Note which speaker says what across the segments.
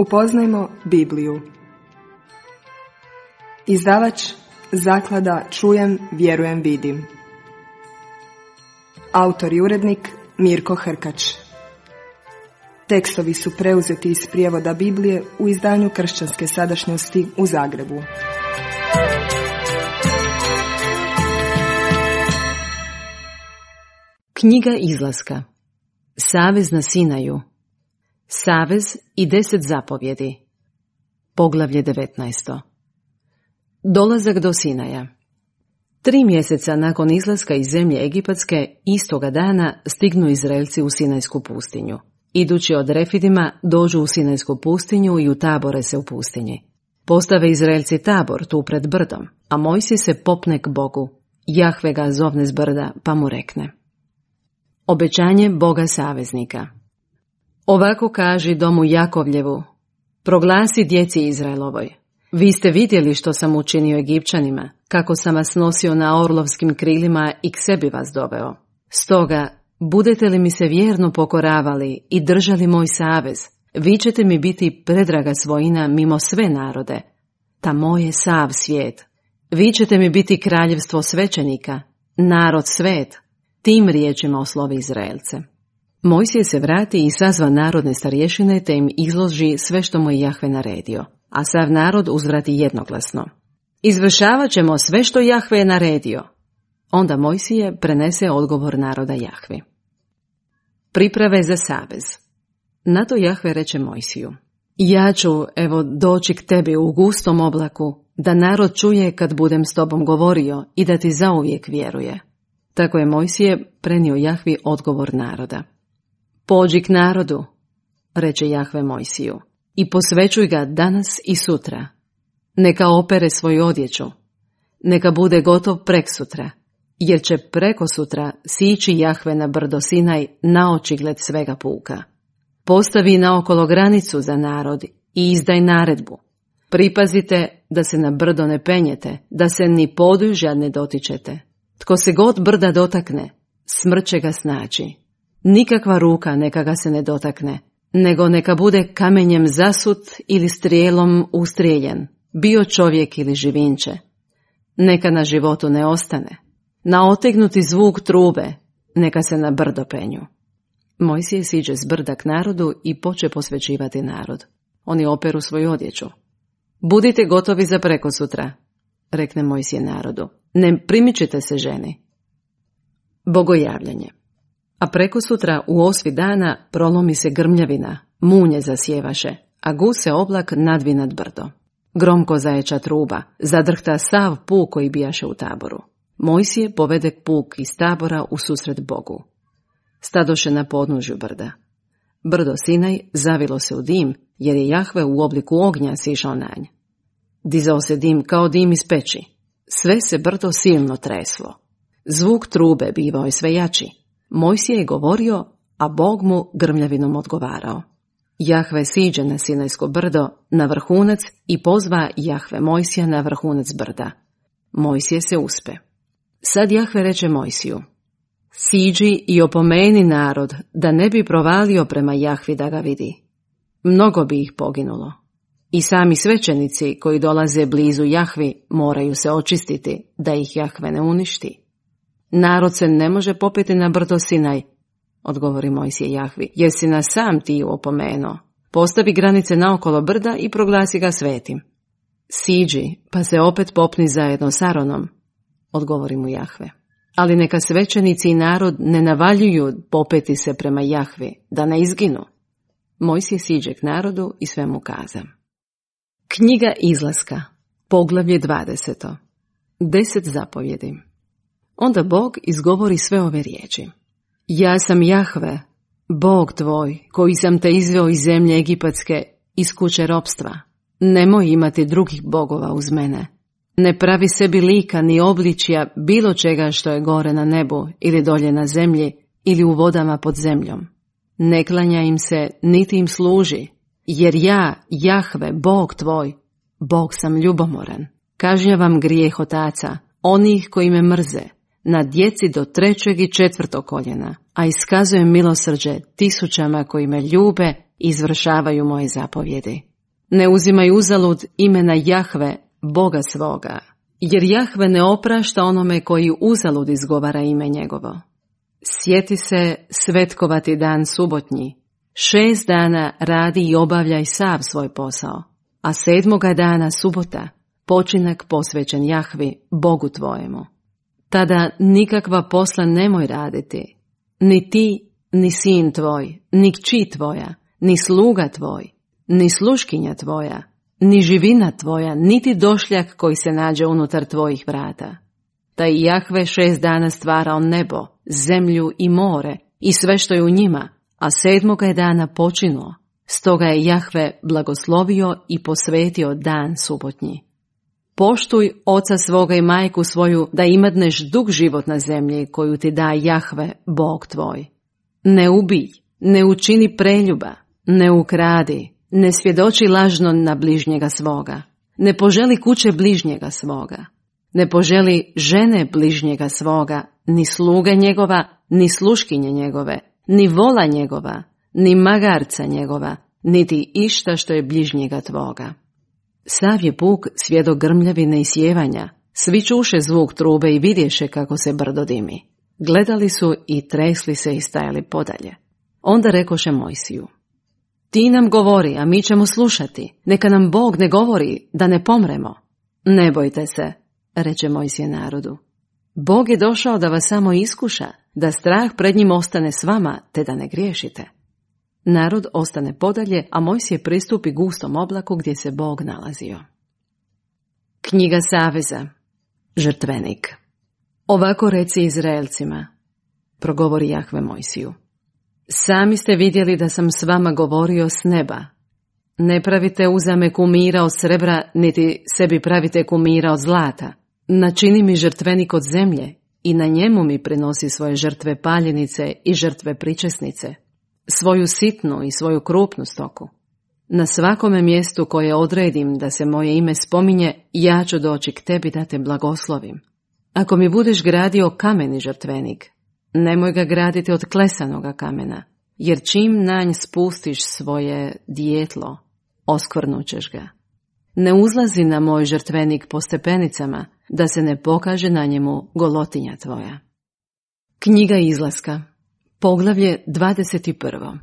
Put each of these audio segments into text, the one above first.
Speaker 1: Upoznajmo Bibliju. Izdavač Zaklada Čujem, vjerujem, vidim. Autor i urednik Mirko Hrkač. Tekstovi su preuzeti iz prijevoda Biblije u izdanju Kršćanske sadašnjosti u Zagrebu.
Speaker 2: Knjiga Izlaska. Savez na Sinaju. Savez i 10 zapovjedi. Poglavlje 19. Dolazak do Sinaja. 3 mjeseca nakon izlaska iz zemlje Egipatske, istoga dana stignu Izraelci u Sinajsku pustinju. Idući od Refidima, dođu u Sinajsku pustinju i utabore se u pustinji. Postave Izraelci tabor tu pred brdom, a Mojsije se popne k Bogu. Jahve ga zovne s brda, pa mu rekne: Obećanje Boga saveznika. Ovako kaži domu Jakovljevu: proglasi djeci Izraelovoj: vi ste vidjeli što sam učinio Egipćanima, kako sam vas nosio na orlovskim krilima i k sebi vas doveo. Stoga, budete li mi se vjerno pokoravali i držali moj savez, vi ćete mi biti predraga svojina mimo sve narode. Ta moj je sav svijet. Vi ćete mi biti kraljevstvo svećenika, narod svet. Tim riječima oslovi Izraelce. Mojsije se vrati i sazva narodne starješine te im izloži sve što mu je Jahve naredio, a sav narod uzvrati jednoglasno: izvršavat ćemo sve što Jahve je naredio. Onda Mojsije prenese odgovor naroda Jahvi. Priprave za savez. Na to Jahve reče Mojsiju: ja ću, evo, doći k tebi u gustom oblaku, da narod čuje kad budem s tobom govorio i da ti zauvijek vjeruje. Tako je Mojsije prenio Jahvi odgovor naroda. Pođi k narodu, reče Jahve Mojsiju, i posvećuj ga danas i sutra. Neka opere svoju odjeću. Neka bude gotov preksutra, jer će preko sutra sići Jahve na brdo Sinaj na očigled svega puka. Postavi naokolo granicu za narod i izdaj naredbu. Pripazite da se na brdo ne penjete, da se ni podužja ne dotičete. Tko se god brda dotakne, smrt će ga snaći. Nikakva ruka neka ga se ne dotakne, nego neka bude kamenjem zasut ili strijelom ustrijeljen, bio čovjek ili živinče. Neka na životu ne ostane. Na otegnuti zvuk trube, neka se na brdo penju. Mojsije siđe s brda k narodu i poče posvećivati narod. Oni operu svoju odjeću. Budite gotovi za prekosutra, rekne Mojsije narodu. Ne primičite se ženi. Bogojavljanje. A prekosutra u 8 dana prolomi se grmljavina, munje zasjevaše, a guse oblak nadvi nad brdo. Gromko zajeća truba, zadrhta sav puk koji bijaše u taboru. Mojsije povede puk iz tabora u susret Bogu. Stadoše na podnožju brda. Brdo Sinaj zavilo se u dim, jer je Jahve u obliku ognja sišao na nj. Dizao se dim kao dim iz peći. Sve se brdo silno treslo. Zvuk trube bivao je sve jači. Mojsije je govorio, a Bog mu grmljavinom odgovarao. Jahve siđe na Sinajsko brdo, na vrhunac, i pozva Jahve Mojsija na vrhunac brda. Mojsije se uspe. Sad Jahve reče Mojsiju: siđi i opomeni narod, da ne bi provalio prema Jahvi da ga vidi. Mnogo bi ih poginulo. I sami svećenici koji dolaze blizu Jahvi moraju se očistiti, da ih Jahve ne uništi. Narod se ne može popeti na brdo Sinaj, odgovori Mojsije Jahvi, jer si nas sam ti opomenuo. Postavi granice naokolo brda i proglasi ga svetim. Siđi, pa se opet popni zajedno s Aronom, odgovori mu Jahve. Ali neka svećenici i narod ne navaljuju popeti se prema Jahvi, da ne izginu. Mojsije siđe k narodu i sve mu kaza. Knjiga Izlaska. Poglavlje 20. 10 zapovjedi. Onda Bog izgovori sve ove riječi. Ja sam Jahve, Bog tvoj, koji sam te izveo iz zemlje Egipatske, iz kuće ropstva. Nemoj imati drugih bogova uz mene. Ne pravi sebi lika ni obličja bilo čega što je gore na nebu ili dolje na zemlji ili u vodama pod zemljom. Ne klanja im se niti im služi, jer ja, Jahve, Bog tvoj, Bog sam ljubomoran. Kažnjavam grijeh otaca, onih koji me mrze, na djeci do 3. i 4. koljena, a iskazujem milosrđe tisućama koji me ljube i izvršavaju moje zapovjedi. Ne uzimaj uzalud imena Jahve, Boga svoga, jer Jahve ne oprašta onome koji uzalud izgovara ime njegovo. Sjeti se svetkovati dan subotnji. 6 dana radi i obavljaj sav svoj posao, a 7. dana subota, počinak posvećen Jahvi, Bogu tvojemu. Tada nikakva posla nemoj raditi, ni ti, ni sin tvoj, ni kći tvoja, ni sluga tvoj, ni sluškinja tvoja, ni živina tvoja, niti došljak koji se nađe unutar tvojih vrata. Taj Jahve 6 dana stvarao nebo, zemlju i more i sve što je u njima, a 7. dana počinuo. Stoga je Jahve blagoslovio i posvetio dan subotnji. Poštuj oca svoga i majku svoju, da imadneš dug život na zemlji koju ti da Jahve, Bog tvoj. Ne ubij, ne učini preljuba, ne ukradi, ne svjedoči lažno na bližnjega svoga, ne poželi kuće bližnjega svoga, ne poželi žene bližnjega svoga, ni sluge njegova, ni sluškinje njegove, ni vola njegova, ni magarca njegova, niti išta što je bližnjega tvoga. Sav je puk svjedok grmljavine i sjevanja, svi čuše zvuk trube i vidješe kako se brdo dimi. Gledali su i tresli se i stajali podalje. Onda rekoše Mojsiju: Ti nam govori, a mi ćemo slušati, neka nam Bog ne govori, da ne pomremo. Ne bojte se, reče Mojsije narodu. Bog je došao da vas samo iskuša, da strah pred njim ostane s vama, te da ne griješite. Narod ostane podalje, a Mojsije pristupi gustom oblaku gdje se Bog nalazio. Knjiga Saveza. Žrtvenik. Ovako reci Izraelcima, progovori Jahve Mojsiju. Sami ste vidjeli da sam s vama govorio s neba. Ne pravite uzame kumira od srebra, niti sebi pravite kumira od zlata. Načini mi žrtvenik od zemlje i na njemu mi prinosi svoje žrtve paljenice i žrtve pričesnice, svoju sitnu i svoju krupnu stoku. Na svakome mjestu koje odredim da se moje ime spominje, ja ću doći k tebi da te blagoslovim. Ako mi budeš gradio kameni žrtvenik, nemoj ga graditi od klesanoga kamena, jer čim na nj spustiš svoje djetlo, oskvrnućeš ga. Ne uzlazi na moj žrtvenik po stepenicama, da se ne pokaže na njemu golotinja tvoja. Knjiga Izlaska. Poglavlje 21.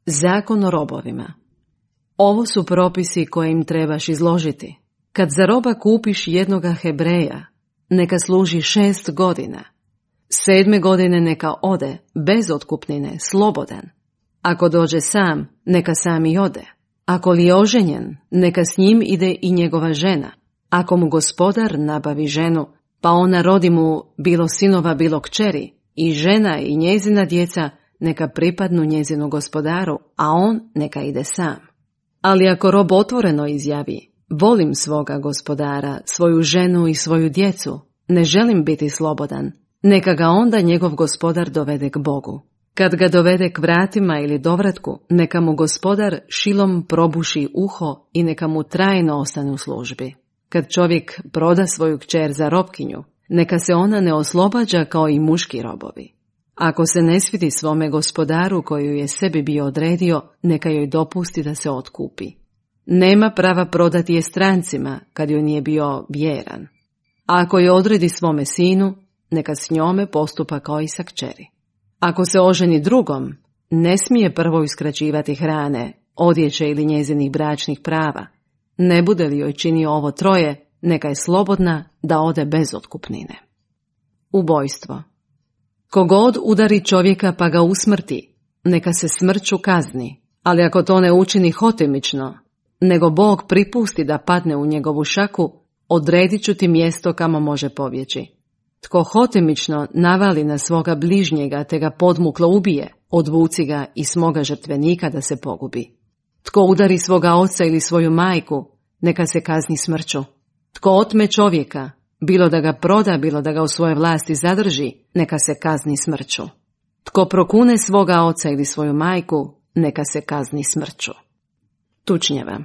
Speaker 2: Zakon o robovima. Ovo su propisi koje im trebaš izložiti. Kad za roba kupiš jednoga Hebreja, neka služi 6 godina. 7. godine neka ode, bez otkupnine, slobodan. Ako dođe sam, neka sam i ode. Ako li je oženjen, neka s njim ide i njegova žena. Ako mu gospodar nabavi ženu, pa ona rodi mu bilo sinova, bilo kćeri, i žena i njezina djeca neka pripadnu njezinu gospodaru, a on neka ide sam. Ali ako rob otvoreno izjavi: volim svoga gospodara, svoju ženu i svoju djecu, ne želim biti slobodan, neka ga onda njegov gospodar dovede k Bogu. Kad ga dovede k vratima ili dovratku, neka mu gospodar šilom probuši uho i neka mu trajno ostane u službi. Kad čovjek proda svoju kćer za robkinju, neka se ona ne oslobađa kao i muški robovi. Ako se ne svidi svome gospodaru koju je sebi bio odredio, neka joj dopusti da se otkupi. Nema prava prodati je strancima kad joj nije bio vjeran. A ako je odredi svome sinu, neka s njome postupa kao i sa kćeri. Ako se oženi drugom, ne smije prvo uskraćivati hrane, odjeće ili njezinih bračnih prava. Ne bude li joj činio ovo troje, neka je slobodna da ode bez otkupnine. Ubojstvo. Kogod udari čovjeka pa ga usmrti, neka se smrću kazni, ali ako to ne učini hotimično, nego Bog pripusti da padne u njegovu šaku, odredit ću ti mjesto kamo može pobjeći. Tko hotimično navali na svoga bližnjega te ga podmuklo ubije, odvuci ga i smoga žrtvenika da se pogubi. Tko udari svoga oca ili svoju majku, neka se kazni smrću. Tko otme čovjeka, bilo da ga proda, bilo da ga u svoje vlasti zadrži, neka se kazni smrću. Tko prokune svoga oca ili svoju majku, neka se kazni smrću. Tučnjava.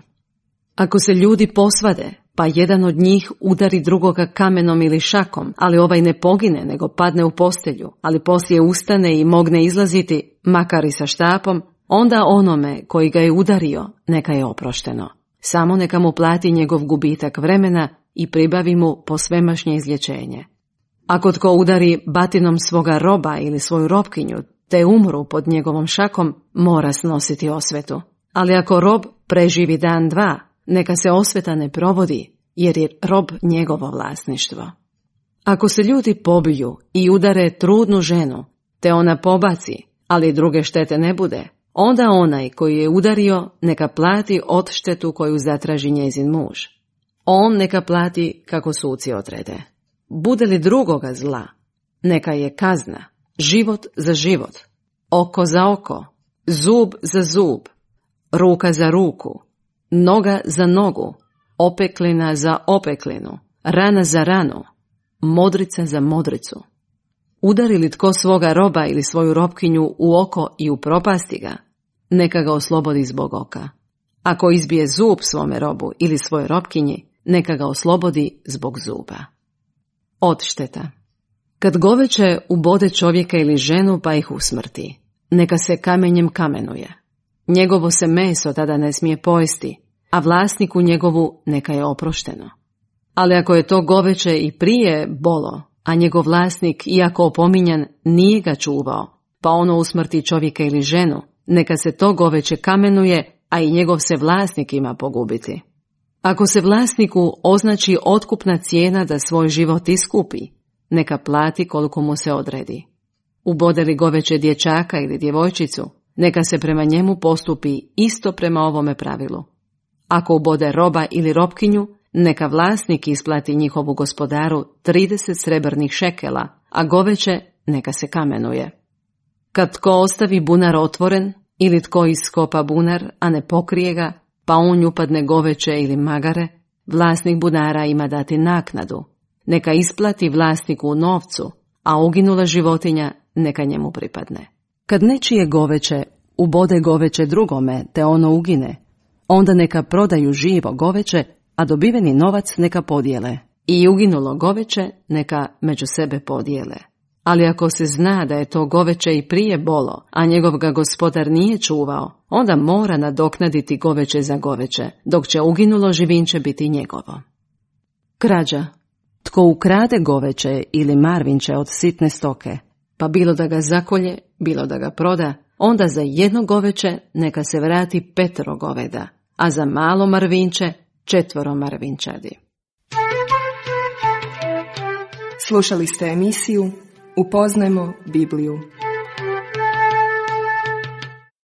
Speaker 2: Ako se ljudi posvade, pa jedan od njih udari drugoga kamenom ili šakom, ali ovaj ne pogine, nego padne u postelju, ali poslije ustane i mogne izlaziti, makar i sa štapom, onda onome koji ga je udario, neka je oprošteno. Samo neka mu plati njegov gubitak vremena i pribavi mu posvemašnje izlječenje. Ako tko udari batinom svoga roba ili svoju robkinju, te umru pod njegovom šakom, mora snositi osvetu. Ali ako rob preživi dan, dva, neka se osveta ne provodi, jer je rob njegovo vlasništvo. Ako se ljudi pobiju i udare trudnu ženu, te ona pobaci, ali druge štete ne bude, onda onaj koji je udario neka plati odštetu koju zatraži njezin muž. On neka plati kako suci odrede. Bude li drugoga zla, neka je kazna, život za život, oko za oko, zub za zub, ruka za ruku, noga za nogu, opeklina za opeklinu, rana za ranu, modrica za modricu. Udari li tko svoga roba ili svoju robkinju u oko i upropasti ga, neka ga oslobodi zbog oka. Ako izbije zub svome robu ili svojoj robkinji, neka ga oslobodi zbog zuba. Odšteta. Kad goveće ubode čovjeka ili ženu pa ih usmrti, neka se kamenjem kamenuje. Njegovo se meso tada ne smije pojesti, a vlasniku njegovu neka je oprošteno. Ali ako je to goveće i prije bolo, a njegov vlasnik, iako opominjan, nije ga čuvao, pa ono usmrti čovjeka ili ženu, neka se to goveće kamenuje, a i njegov se vlasnik ima pogubiti. Ako se vlasniku označi otkupna cijena da svoj život iskupi, neka plati koliko mu se odredi. Ubode li goveće dječaka ili djevojčicu, neka se prema njemu postupi isto prema ovome pravilu. Ako ubode roba ili robkinju, neka vlasnik isplati njihovu gospodaru 30 srebrnih šekela, a goveće neka se kamenuje. Kad tko ostavi bunar otvoren ili tko iskopa bunar, a ne pokrije ga, pa u nju upadne goveće ili magare, vlasnik bunara ima dati naknadu. Neka isplati vlasniku u novcu, a uginula životinja neka njemu pripadne. Kad nečije goveće ubode goveće drugome te ono ugine, onda neka prodaju živo goveće, a dobiveni novac neka podijele. I uginulo goveće neka među sebe podijele. Ali ako se zna da je to goveće i prije bolo, a njegov ga gospodar nije čuvao, onda mora nadoknaditi goveće za goveće, dok će uginulo živinče biti njegovo. Krađa. Tko ukrade goveće ili marvinče od sitne stoke, pa bilo da ga zakolje, bilo da ga proda, onda za jedno goveće neka se vrati 5 goveda, a za malo marvinče 4 marvinčadi.
Speaker 1: Slušali ste emisiju Upoznajmo Bibliju.